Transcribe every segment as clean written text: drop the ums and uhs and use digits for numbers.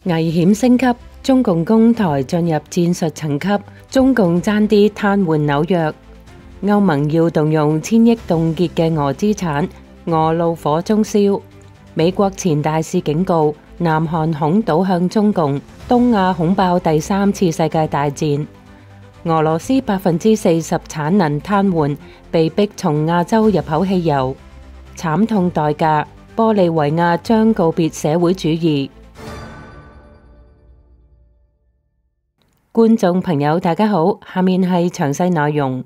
危險升級，中共攻台進入戰術層級，中共爭啲癱瘓紐約。歐盟要動用千億凍結嘅俄資產，俄怒火中燒。美國前大使警告，南韓恐倒向中共，東亞恐爆第三次世界大戰。俄羅斯40%產能癱瘓，被迫從亞洲入口汽油。慘痛代價，玻利維亞將告別社會主義。觀眾朋友大家好，下面係詳細內容。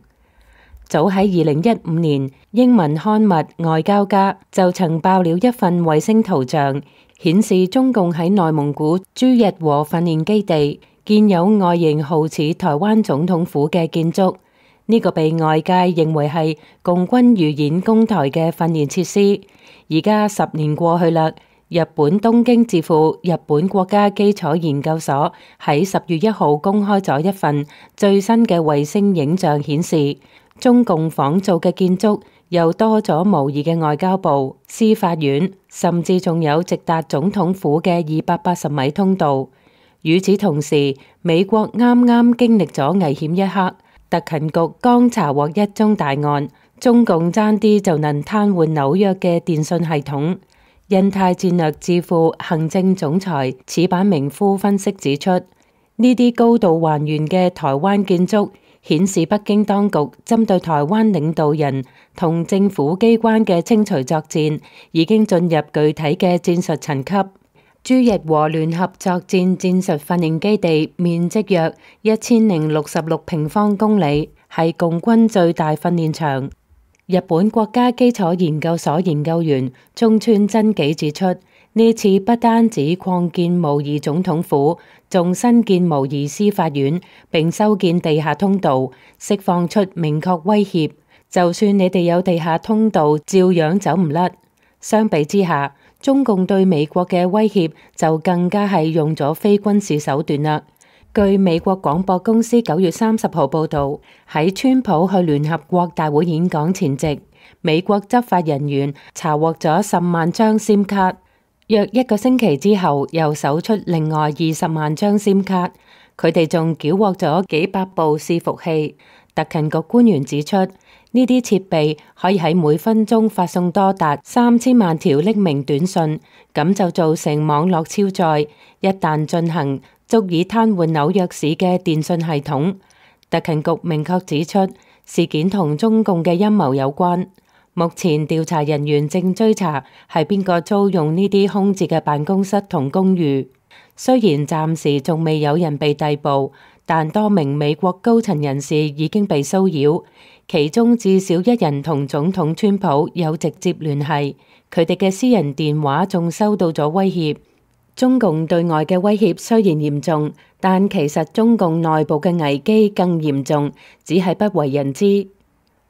早喺2015年，英文刊物《外交家》就曾爆料一份衛星圖像，顯示中共喺內蒙古朱日和訓練基地建有外形好似台灣總統府嘅建築，呢個被外界認為係共軍預演攻台嘅訓練設施。而家10年過去啦，日本東京智庫日本國家基礎研究所喺10月1號公開咗一份最新嘅衛星影像，顯示中共仿造嘅建築又多咗模擬嘅外交部、司法院，甚至仲有直達總統府嘅280米通道。與此同時，美國啱啱經歷咗危險一刻，特勤局剛查獲一宗大案，中共爭啲就能癱瘓紐約嘅電信系統。印太戰略智庫行政總裁矢板明夫分析指出，呢啲高度還原嘅台灣建築顯示北京當局針對台灣領導人同政府機關嘅清除作戰已經進入具體嘅戰術層級。朱日和聯合作戰戰術訓練基地面積約1066平方公里，係共軍最大訓練場。日本國家基礎研究所研究員中村真紀指出，呢次不單止擴建模擬總統府，仲新建模擬司法院，並修建地下通道，釋放出明確威脅。就算你哋有地下通道，照樣走唔甩。相比之下，中共對美國嘅威脅就更加係用咗非軍事手段啦。據美國廣播公司9月30號報道，喺川普去聯合國大會演講前夕，美國執法人員查獲咗10萬張 SIM 卡，約1個星期之後又搜出另外20萬張 SIM 卡，佢哋仲繳獲咗幾百部伺服器。特勤局官員指出，呢啲設備可以喺每分鐘發送多達3000萬條匿名短信，咁就造成網絡超載，一旦進行，足以癱瘓紐約市嘅電信系統。特勤局明確指出，事件同中共嘅陰謀有關。目前調查人員正追查係邊個租用呢啲空置嘅辦公室同公寓。雖然暫時仲未有人被逮捕，但多名美國高層人士已經被騷擾，其中至少1人同總統川普有直接聯繫，佢哋嘅私人電話仲收到咗威脅。中共對外嘅威脅雖然嚴重，但其實中共內部嘅危機更嚴重，只係不為人知。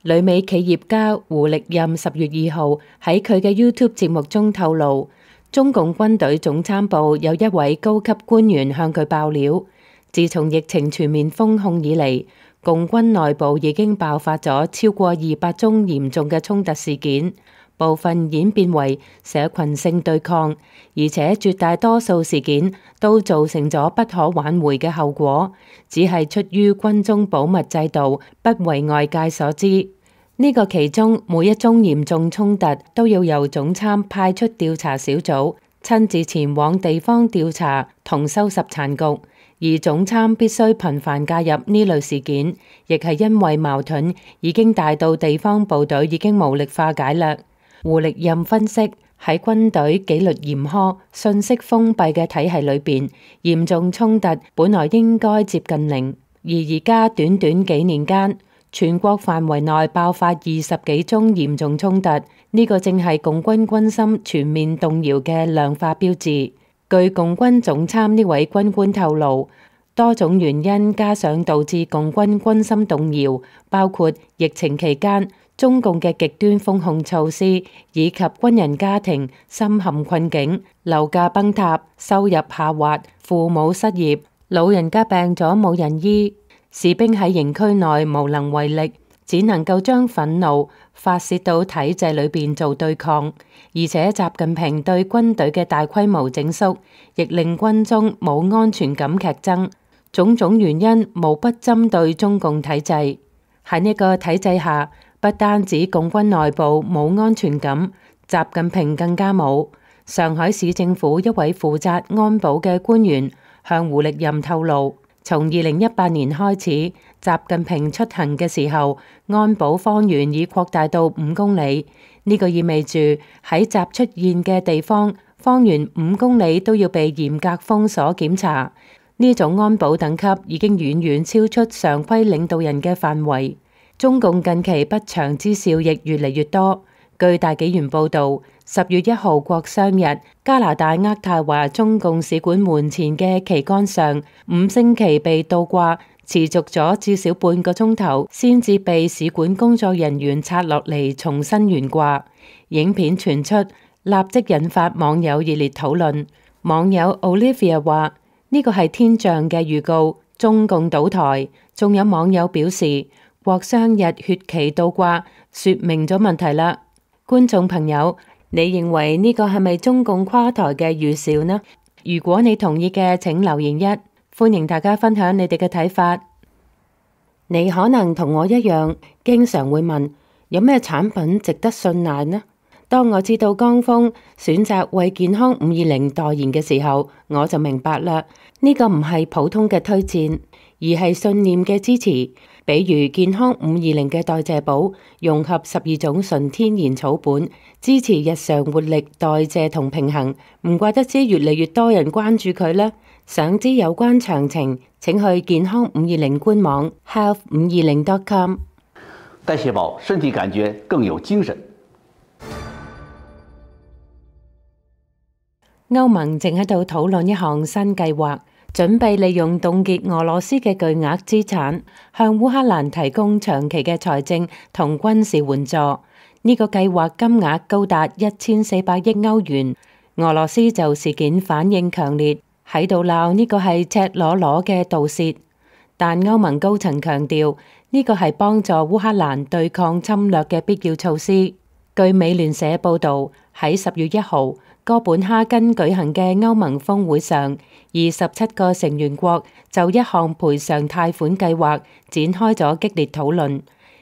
旅美企業家胡力任10月2號喺佢嘅 YouTube 節目中透露，中共軍隊總參部有一位高級官員向佢爆料，自從疫情全面封控以嚟，共軍內部已經爆發咗超過200宗嚴重嘅衝突事件。部分演變為社群性對抗，而且絕大多數事件都造成咗不可挽回嘅後果，只係出於軍中保密制度，不為外界所知。呢個其中每一宗嚴重衝突都要由總參派出調查小組，親自前往地方調查同收拾殘局，而總參必須頻繁介入呢類事件，亦係因為矛盾已經大到地方部隊已經無力化解啦。胡力任分析，喺軍隊紀律嚴苛、信息封閉嘅體系裏邊，嚴重衝突本來應該接近零，而家短短幾年間，全國範圍內爆發20幾宗嚴重衝突，呢個正係共軍軍心全面動搖嘅量化標誌。據共軍總參呢位軍官透露，多種原因加上導致共軍軍心動搖，包括疫情期間中共嘅極端封控措施，以及軍人家庭深陷困境、樓價崩塌、收入下滑、父母失業、老人家病咗冇人醫、士兵喺營區內無能為力、只能夠將憤怒發洩到體制裏邊做對抗，而且習近平對軍隊嘅大規模整肅，亦令軍中冇安全感劇增。種種原因無不針對中共體制。喺呢個體制下，不單止共軍內部冇安全感，習近平更加冇。上海市政府一位負責安保嘅官員向胡力任透露，從2018年開始，習近平出行嘅時候，安保方圓已擴大到5公里。呢個意味住喺習出現嘅地方，方圓5公里都要被嚴格封鎖檢查。呢種安保等級已經遠遠超出常規領導人嘅範圍。中共近期不祥之兆亦越嚟越多。據大紀元報導，10月1號國殤日，加拿大渥太華中共使館門前嘅旗桿上5星旗被倒掛，持續咗至少半個鐘頭，先至被使館工作人員拆落嚟重新懸掛。影片傳出，立即引發網友熱烈討論。網友 Olivia 話：呢個係天象嘅預告，中共倒台。仲有網友表示，國殤日血旗倒掛，說明咗問題啦。觀眾朋友，你認為呢個係咪中共垮台嘅預兆呢？如果你同意嘅，請留言1，歡迎大家分享你哋嘅睇法。你可能同我一樣，經常會問，有咩產品值得信賴呢？當我知道江峰選擇為健康520代言嘅時候，我就明白啦，呢個唔係普通嘅推薦，而係信念嘅支持。比如健康520嘅代謝寶，融合12種純天然草本，支持日常活力、代謝同平衡。唔怪得知越嚟越多人關注佢啦。想知有關詳情，請去健康520官網 health520.com。代謝寶，身體感覺更有精神。歐盟正喺度討論一項新計劃，準備利用凍結俄羅斯嘅巨額資產，向烏克蘭提供長期嘅財政同軍事援助。呢個計劃金額高達1400億歐元。俄羅斯就事件反應強烈，喺度鬧呢個係赤裸裸嘅盜竊。但歐盟高層強調，呢個係幫助烏克蘭對抗侵略嘅必要措施。據美聯社報導，喺10月1號，哥本哈根舉行嘅歐盟峰會上，27個成員國就一項賠償貸款計劃展開咗激烈討論。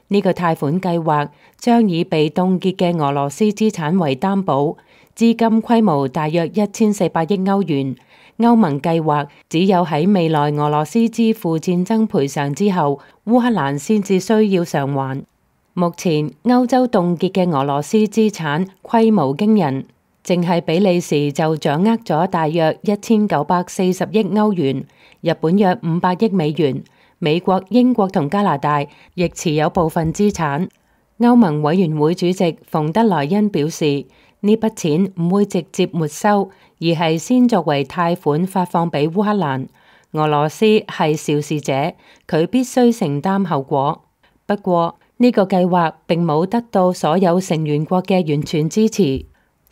呢個貸款計劃將以被凍結嘅俄羅斯資產為擔保，資金規模大約1400億歐元。歐盟計劃只有喺未來俄羅斯支付戰爭賠償之後，烏克蘭先至需要償還。目前歐洲凍結嘅俄羅斯資產規模驚人。淨係比利時就掌握咗大約1940億歐元，日本約500億美元，美國、英國同加拿大亦持有部分資產。歐盟委員會主席馮德萊恩表示，呢筆錢唔會直接沒收，而係先作為貸款發放俾烏克蘭。俄羅斯係肇事者，佢必須承擔後果。不過呢個計劃並冇得到所有成員國嘅完全支持。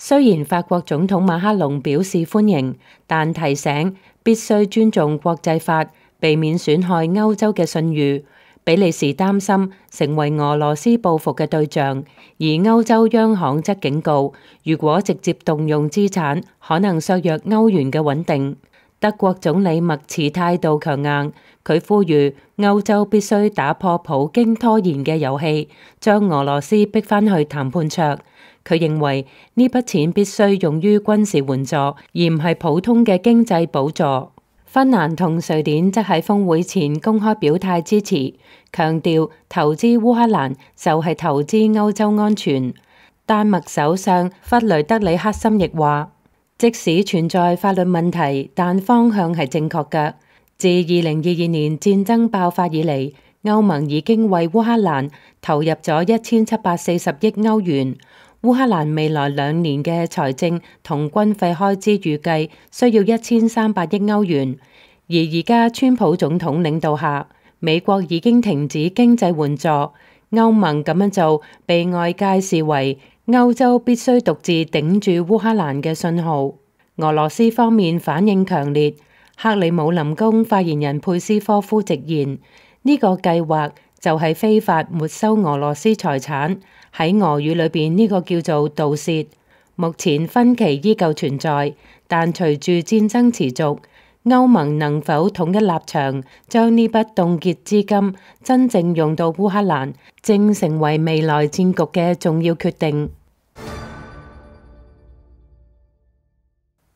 雖然法國總統馬克龍表示歡迎，但提醒必須尊重國際法，避免損害歐洲嘅信譽。比利時擔心成為俄羅斯報復嘅對象，而歐洲央行則警告，如果直接動用資產，可能削弱歐元嘅穩定。德國總理默茨態度強硬，佢呼籲歐洲必須打破普京拖延嘅遊戲，將俄羅斯逼返去談判桌。佢認為呢筆錢必須用於軍事援助，而唔係普通嘅經濟補助。芬蘭同瑞典則喺峰會前公開表態支持，強調投資烏克蘭就係投資歐洲安全。丹麥首相弗雷德里克森亦話，即使存在法律問題，但方向係正確嘅。自2022年戰爭爆發以嚟，歐盟已經為烏克蘭投入咗1740億歐元。烏克蘭未來2年嘅財政同軍費開支預計需要1300億歐元，而而家川普總統領導下，美國已經停止經濟援助，歐盟咁樣做被外界視為歐洲必須獨自頂住烏克蘭嘅信號。俄羅斯方面反應強烈，克里姆林宮發言人佩斯科夫直言，呢個計劃就係非法沒收俄羅斯財產，喺俄語裏邊呢個叫做盜竊。目前分歧依舊存在，但隨住戰爭持續，歐盟能否統一立場，將呢筆凍結資金真正用到烏克蘭，正成為未來戰局嘅重要決定。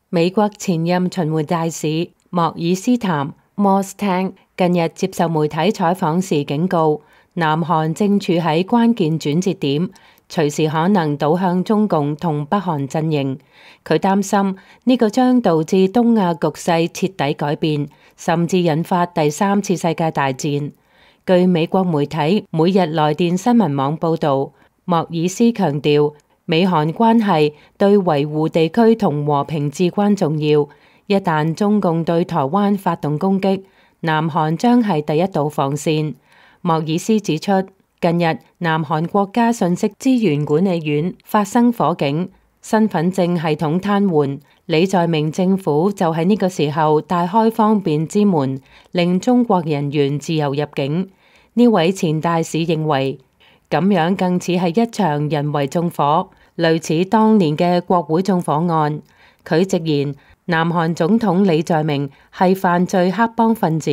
美國前任巡迴大使莫爾斯坦 Mostang 近日接受媒體採訪時警告，南韓正處喺關鍵轉折點，隨時可能倒向中共同北韓陣營。佢擔心呢個將導致東亞局勢徹底改變，甚至引發第三次世界大戰。據美國媒體每日來電新聞網報導，莫爾斯強調，美韓關係對維護地區同和平至關重要。一旦中共對台灣發動攻擊，南韓將係第一道防線。莫爾斯指出，近日南韓國家信息資源管理院發生火警，身份證系統癱瘓。李在明政府就喺呢個時候大開方便之門，令中國人員自由入境。呢位前大使認為，咁樣更似係一場人為縱火，類似當年嘅國會縱火案。佢直言，南韓總統李在明係犯罪黑幫分子，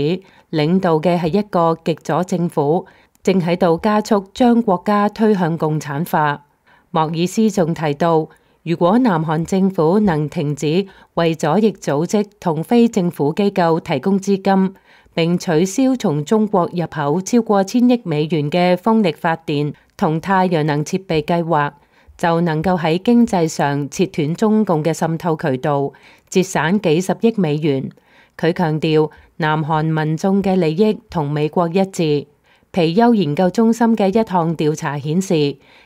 領導嘅係一個極左政府，正喺度加速將國家推向共產化。莫爾斯仲提到，如果南韓政府能停止為左翼組織同非政府機構提供資金，並取消從中國入口超過1000億美元嘅風力發電同太陽能設備計劃，就能夠喺經濟上切斷中共嘅滲透渠道，節省幾十億美元。佢強調，南韓民眾嘅利益同美國一致。皮尤研究中心嘅一項調查顯示，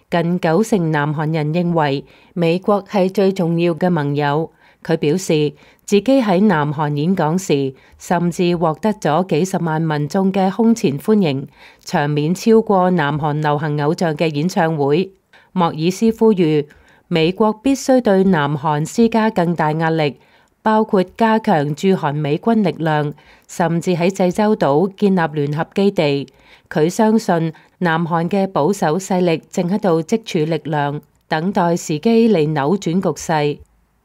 近90%南韓人認為美國係最重要嘅盟友。佢表示，自己喺南韓演講時，甚至獲得咗幾十萬民眾嘅空前歡迎，場面超過南韓流行偶像嘅演唱會。莫爾斯呼籲美國必須對南韓施加更大壓力，包括加強駐韓美軍力量，甚至喺濟州島建立聯合基地。佢相信南韓嘅保守勢力正喺度積儲力量，等待時機嚟扭轉局勢。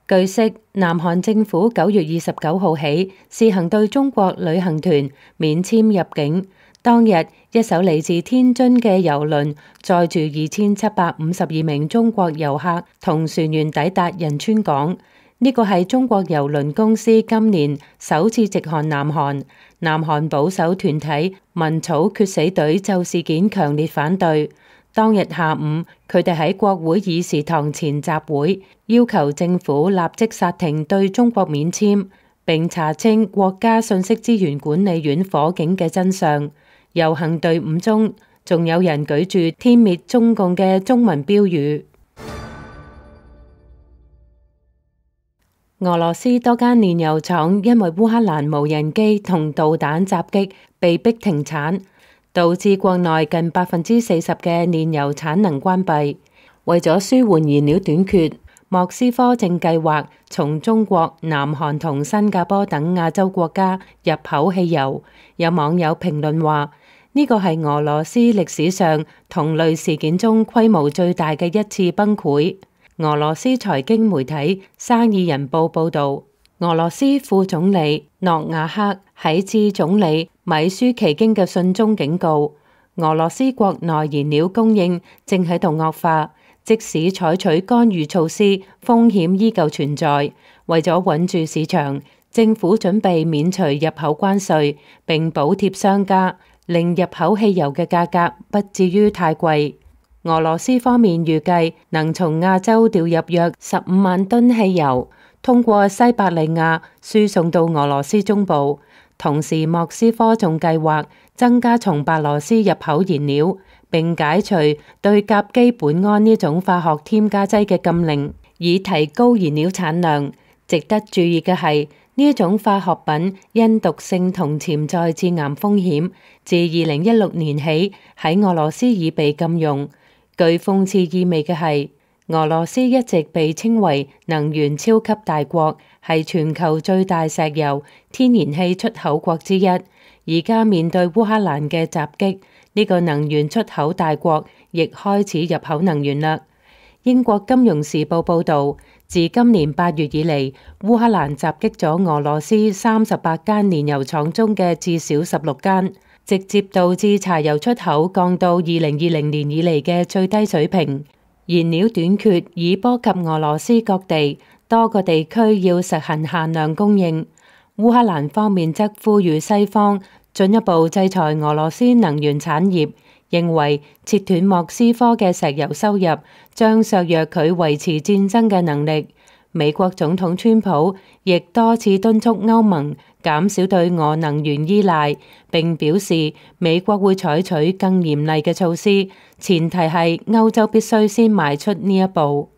據悉，南韓政府9月29號起試行對中國旅行團免簽入境。當日，一艘嚟自天津嘅郵輪載住2752名中國遊客同船員抵達仁川港。呢個係中國郵輪公司今年首次直航南韓。南韓保守團體民草決死隊就事件強烈反對。當日下午，佢哋喺國會議事堂前集會，要求政府立即剎停對中國免簽，並查清國家信息資源管理院火警嘅真相。遊行隊伍中，仲有人舉住殲滅中共嘅中文標語。俄羅斯多間煉油廠因為烏克蘭無人機同導彈襲擊，被迫停產，導致國內近40%嘅煉油產能關閉。為咗舒緩燃料短缺，莫斯科正計劃從中國、南韓同新加坡等亞洲國家入口汽油。有網友評論話，呢個係俄羅斯歷史上同類事件中規模最大嘅一次崩潰。俄羅斯財經媒體《生意人報》報導，俄羅斯副總理諾瓦克喺致總理米舒奇京嘅信中警告，俄羅斯國內燃料供應正喺度惡化，即使採取干預措施，風險依舊存在。為咗穩住市場，政府準備免除入口關稅，並補貼商家，令入口汽油嘅價格不至於太貴。俄羅斯方面預計能從亞洲調入約15萬噸汽油，通過西伯利亞輸送到俄羅斯中部。同時，莫斯科仲計劃增加從白羅斯入口燃料，並解除對甲基苯胺呢種化學添加劑嘅禁令，以提高燃料產量。值得注意嘅係，呢一種化學品因毒性同潛在致癌風險，自2016年起喺俄羅斯已被禁用。具諷刺意味嘅係，俄羅斯一直被稱為能源超級大國，係全球最大石油、天然氣出口國之一。而家面對烏克蘭嘅襲擊，呢個能源出口大國亦開始入口能源啦。英國金融時報報導，自今年8月以嚟，烏克蘭襲擊咗俄羅斯38間煉油廠中嘅至少16間，直接導致柴油出口降到2020年以嚟嘅最低水平。燃料短缺已波及俄羅斯各地，多個地區要實行限量供應。烏克蘭方面則呼籲西方進一步制裁俄羅斯能源產業，認為切斷莫斯科嘅石油收入將削弱佢維持戰爭嘅能力。美國總統川普亦多次敦促歐盟減少對俄能源依賴，並表示美國會採取更嚴厲嘅措施，前提係歐洲必須先邁出呢一步。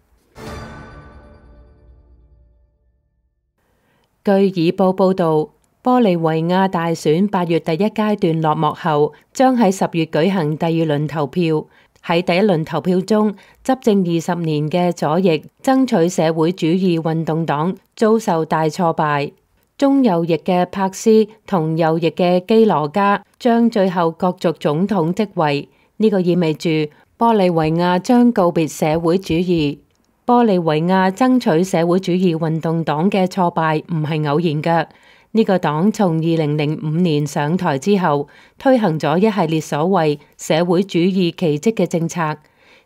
據《以報》報導，玻利維亞大選8月第一階段落幕後，將喺10月舉行第二輪投票。喺第一輪投票中，執政20年嘅左翼爭取社會主義運動黨遭受大挫敗，中右翼嘅柏斯同右翼嘅基羅加將最後角逐總統職位。呢個意味住玻利維亞將告別社會主義。玻利維亞爭取社會主義運動黨嘅挫敗唔係偶然嘅。呢個黨從2005年上台之後，推行咗一系列所謂社會主義奇蹟嘅政策，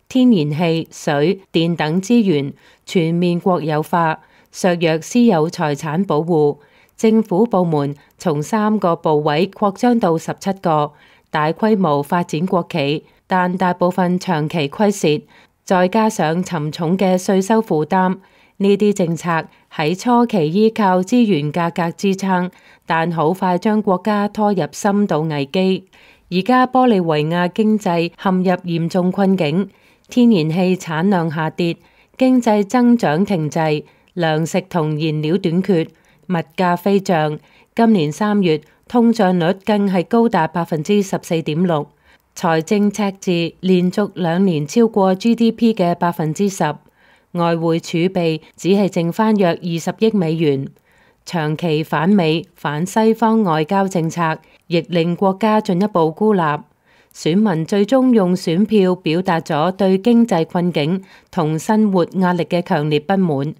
天然氣、水電等資源全面國有化，削弱私有財產保護，政府部門從3個部委擴張到17個，大規模發展國企，但大部分長期虧蝕。再加上沉重嘅稅收負擔，呢啲政策喺初期依靠資源價格支撐，但好快將國家拖入深度危機。而家玻利維亞經濟陷入嚴重困境，天然氣產量下跌，經濟增長停滯，糧食同燃料短缺，物價飛漲。今年3月，通脹率更係高達14.6%。財政赤字連續2年超過 GDP 嘅10%，外匯儲備只係剩返約20億美元。長期反美反西方外交政策，亦令國家進一步孤立。選民最終用選票表達咗對經濟困境同生活壓力嘅強烈不滿，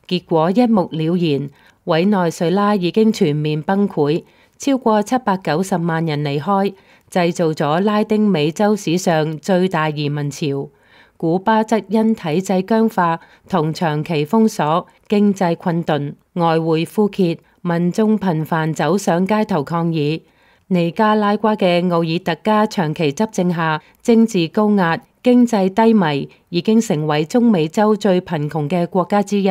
結果一目了然，委內瑞拉已經全面崩潰，超過790萬人離開，製造咗拉丁美洲史上最大移民潮。古巴則因體制僵化同長期封鎖，經濟困頓，外匯枯竭，民眾頻繁走上街頭抗議。尼加拉瓜嘅奧爾特加長期執政下，政治高壓，經濟低迷，已經成為中美洲最貧窮嘅國家之一。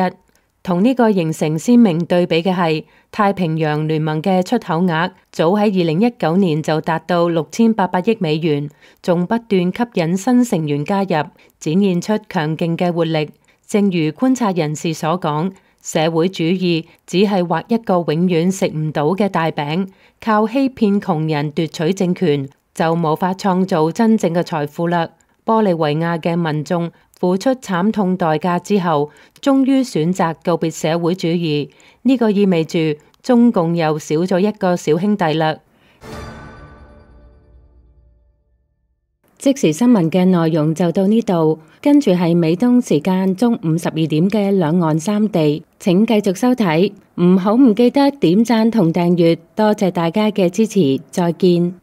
同呢個形成鮮明對比嘅係，太平洋聯盟嘅出口額早喺2019年就達到6800億美元，仲不斷吸引新成員加入，展現出強勁嘅活力。正如觀察人士所講，社會主義只係畫一個永遠食唔到嘅大餅，靠欺騙窮人奪取政權，就無法創造真正嘅財富啦。玻利維亞嘅民眾付出慘痛代價之後，終於選擇告別社會主義，呢個意味住中共又少咗一個小兄弟啦。即時新聞嘅內容就到呢度，跟住係美東時間中午12點嘅兩岸三地，請繼續收睇，唔記得點讚同訂閱，多謝大家嘅支持，再見。